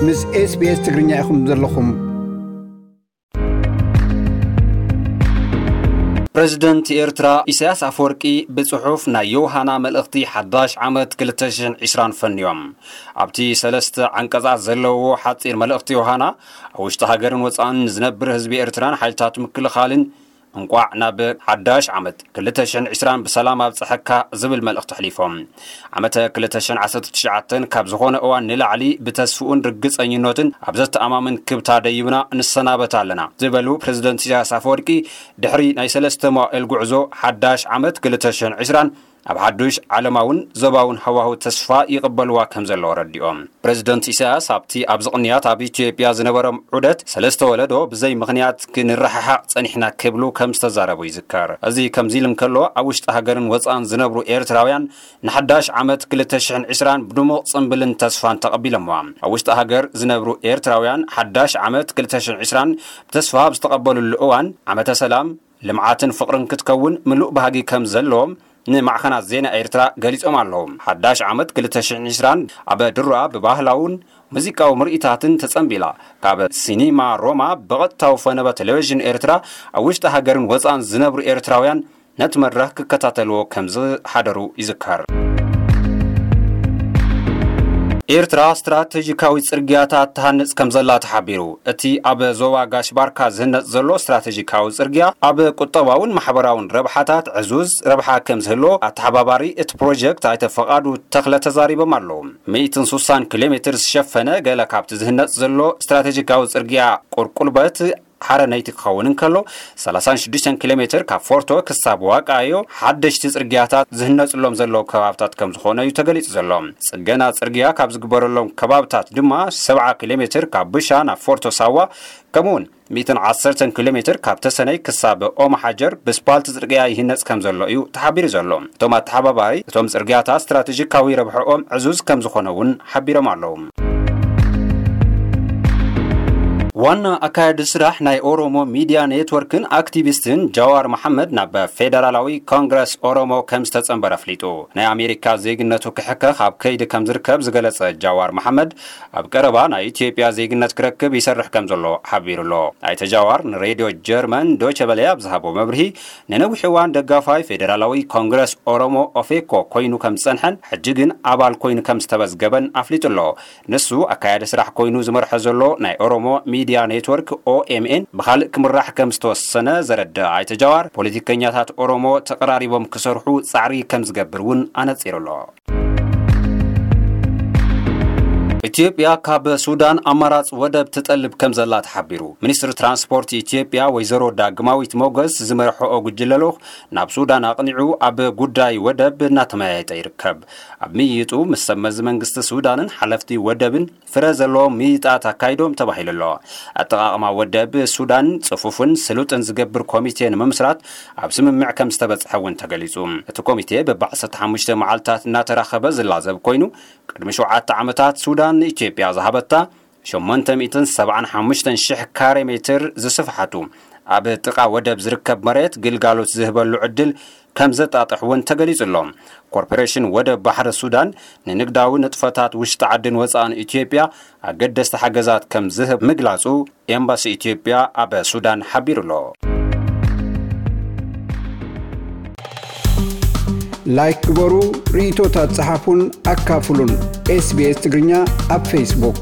ምስ SBS ትግርኛ ኢኹም ዘለኹም። ፕረዚደንት ኤርትራ ኢሳያስ ኣፈወርቂ ብጽሑፍ ናይ ዮሃና መልእኽቲ ሓዳሽ ዓመት ክልተ ሽሕን ዕስራን ፈንዮም። ኣብቲ ሰለስተ ዓንቀጻት ዘለዎ ሓጺር መልእኽቲ ዮሃና፣ ኣብ ውሽጢ ሃገርን ወጻእን ዝነብር ህዝቢ ኤርትራን ሓይልታት ምክልኻልን እንቋዕ ናብ ሓዳሽ ዓመት ክልተ ሽሕን ዕስራን ብሰላም ኣብጽሐካ ዝብል መልእኽቲ ኣሕሊፎም። ዓመተ ክልተ ሽሕን ዓሰርተ ትሽዓተን ካብ ዝኾነ እዋን ንላዕሊ ብተስፍኡን ርግጸኝነትን ኣብ ዘተኣማምን ክብታ ደይብና ንሰናበት ኣለና ዝበሉ ፕረዚደንት ኢሳያስ ኣፈወርቂ፣ ድሕሪ ናይ ሰለስተ መዋእል ጉዕዞ ሓዳሽ ዓመት ክልተ ሽሕን ዕስራን ኣብ ሓዱሽ ዓለማውን ዞባውን ሃዋህው ተስፋ ይቕበልዋ ከም ዘለዉ ኣረዲኦም። ፕረዚደንት ኢሳያስ ኣብቲ ኣብዚ ቅንያት ኣብ ኢትዮጵያ ዝነበሮም ዑደት፣ ሰለስተ ወለዶ ብዘይ ምኽንያት ክንረሓሓቕ ጸኒሕና ክብሉ ከም ዝተዛረቡ ይዝከር። እዚ ከምዚ ኢሉ እንከሎ፣ ኣብ ውሽጢ ሃገርን ወጻእን ዝነብሩ ኤርትራውያን ንሓዳሽ ዓመት ክልተ ሽሕን ዕስራን ብድሙቕ ጽምብልን ተስፋን ተቐቢሎምዋ። ኣብ ውሽጢ ሃገር ዝነብሩ ኤርትራውያን ሓዳሽ ዓመት ክልተ ሽሕን ዕስራን ብተስፋ ኣብ ዝተቐበልሉ እዋን፣ ዓመተ ሰላም፣ ልምዓትን ፍቕርን ክትከውን ምሉእ ባህጊ ከም ዘለዎም ንማዕኸናት ዜና ኤርትራ ገሊጾም ኣለዉ። ሓዳሽ ዓመት ክልተ ሽሕን ዕስራን ኣብ ድሮኣ ብባህላውን ሙዚቃዊ ምርኢታትን ተጸንቢላ፣ ካብ ሲኒማ ሮማ ብቐጥታዊ ፈነወ ቴሌቪዥን ኤርትራ ኣብ ውሽጢ ሃገርን ወጻእን ዝነብሩ ኤርትራውያን ነቲ መድረኽ ክከታተልዎ ከም ዝሓደሩ ይዝከር። ኤርትራ ስትራተጂካዊ ጽርግያታት ትሃንጽ ከም ዘላ ተሓቢሩ። እቲ ኣብ ዞባ ጋሽ ባርካ ዝህነጽ ዘሎ ስትራተጂካዊ ጽርግያ ኣብ ቁጠባውን ማሕበራውን ረብሓታት ዕዙዝ ረብሓ ከም ዝህልዎ ኣተሓባባሪ እቲ ፕሮጀክት ኣይተ ፈቓዱ ተኽለ ተዛሪቦም ኣለዉ። ሚእትን ስሳን ኪሎ ሜትር ዝሸፈነ ገለ ካብቲ ዝህነጽ ዘሎ ስትራተጂካዊ ጽርግያ ቁርቁልበት ሓረነይቲ ክኸውን እንከሎ፣ ሰላሳን ሽዱሽተን ኪሎ ሜትር ካብ ፎርቶ ክሳብ ዋቃዮ ሓደሽቲ ጽርግያታት ዝህነጽሎም ዘለዉ ከባብታት ከም ዝኾነ እዩ ተገሊጹ ዘሎ። ጽገና ጽርግያ ካብ ዝግበረሎም ከባብታት ድማ ሰብዓ ኪሎ ሜትር ካብ ብሻ ናብ ፎርቶ ሳዋ፣ ከምኡውን ሚእትን ዓሰርተን ኪሎ ሜትር ካብ ተሰነይ ክሳብ ኦም ሓጀር ብስፓልት ጽርግያ ይህነጽ ከም ዘሎ እዩ ተሓቢሩ ዘሎ። እቶም ኣተሓባባሪ፣ እቶም ጽርግያታት ስትራተጂካዊ ረብሕኦም ዕዙዝ ከም ዝኾነ እውን ሓቢሮም ኣለዉ። ዋና ኣካያዲ ስራሕ ናይ ኦሮሞ ሚድያ ኔትወርክን ኣክቲቪስትን ጃዋር መሓመድ ናብ ፌደራላዊ ኮንግረስ ኦሮሞ ከም ዝተጸንበረ ኣፍሊጡ። ናይ ኣሜሪካ ዜግነቱ ክሕከኽ ኣብ ከይዲ ከም ዝርከብ ዝገለጸ ጃዋር መሓመድ፣ ኣብ ቀረባ ናይ ኢትዮጵያ ዜግነት ክረክብ ይሰርሕ ከም ዘሎ ሓቢሩ ኣሎ። ኣይተ ጃዋር ንሬድዮ ጀርመን ዶቸ በለ ኣብ ዝሃቦ መብርሂ፣ ንነዊሕ እዋን ደጋፋይ ፌደራላዊ ኮንግረስ ኦሮሞ ኦፌኮ ኮይኑ ከም ዝጸንሐን ሕጂ ግን ኣባል ኮይኑ ከም ዝተመዝገበን ኣፍሊጡ ኣሎ። ንሱ ኣካያዲ ስራሕ ኮይኑ ዝመርሖ ዘሎ ናይ ኦሮሞ ሚድያ ኔትወርክ ኦኤምኤን ብኻልእ ክምራሕ ከም ዝተወሰነ ዘረድእ ኣይተ ጃዋር፣ ፖለቲከኛታት ኦሮሞ ተቐራሪቦም ክሰርሑ ጻዕሪ ከም ዝገብር እውን ኣነጺሩ ኣሎ። ኢትዮጵያ ካብ ሱዳን ኣማራጺ ወደብ ትጠልብ ከም ዘላ ተሓቢሩ። ሚኒስትሪ ትራንስፖርት ኢትዮጵያ ወይዘሮ ዳግማዊት ሞገስ ዝመርሕኦ ጉጅለ ልኡኽ ናብ ሱዳን ኣቕኒዑ ኣብ ጉዳይ ወደብ እናተመያየጠ ይርከብ። ኣብ ምይይጡ ምስ ሰብ መዚ መንግስቲ ሱዳንን ሓለፍቲ ወደብን ፍረ ዘለዎም ምይይጣት ኣካይዶም ተባሂሉ ኣሎ። ኣጠቓቕማ ወደብ ሱዳን ጽፉፍን ስሉጥን ዝገብር ኮሚቴ ንምምስራት ኣብ ስምምዕ ከም ዝተበጽሐ እውን ተገሊጹ። እቲ ኮሚቴ ብኣርባዕተ ሓሙሽተ መዓልታት እናተራኸበ ዝላዘብ ኮይኑ፣ ቅድሚ ሸውዓተ ዓመታት ሱዳን ንኢትዮጵያ ዝሃበታ ሸሞንተ ሚእትን ሰብዓን ሓሙሽተን ሽሕ ካሬ ሜትር ዝስፍሓቱ ኣብ ጥቓ ወደብ ዝርከብ መሬት ግልጋሎት ዝህበሉ ዕድል ከም ዘጣጥሕ እውን ተገሊጹ ኣሎ። ኮርፖሬሽን ወደብ ባሕሪ ሱዳን ንንግዳዊ ንጥፈታት ውሽጢ ዓድን ወጻእን ኢትዮጵያ ኣገደስቲ ሓገዛት ከም ዝህብ ምግላጹ ኤምባሲ ኢትዮጵያ ኣብ ሱዳን ሓቢሩ ኣሎ። ላይክ ግበሩ፣ ርእይቶታት ጸሓፉን ኣካፍሉን። ኤስቢኤስ ትግርኛ ኣብ ፌስቡክ።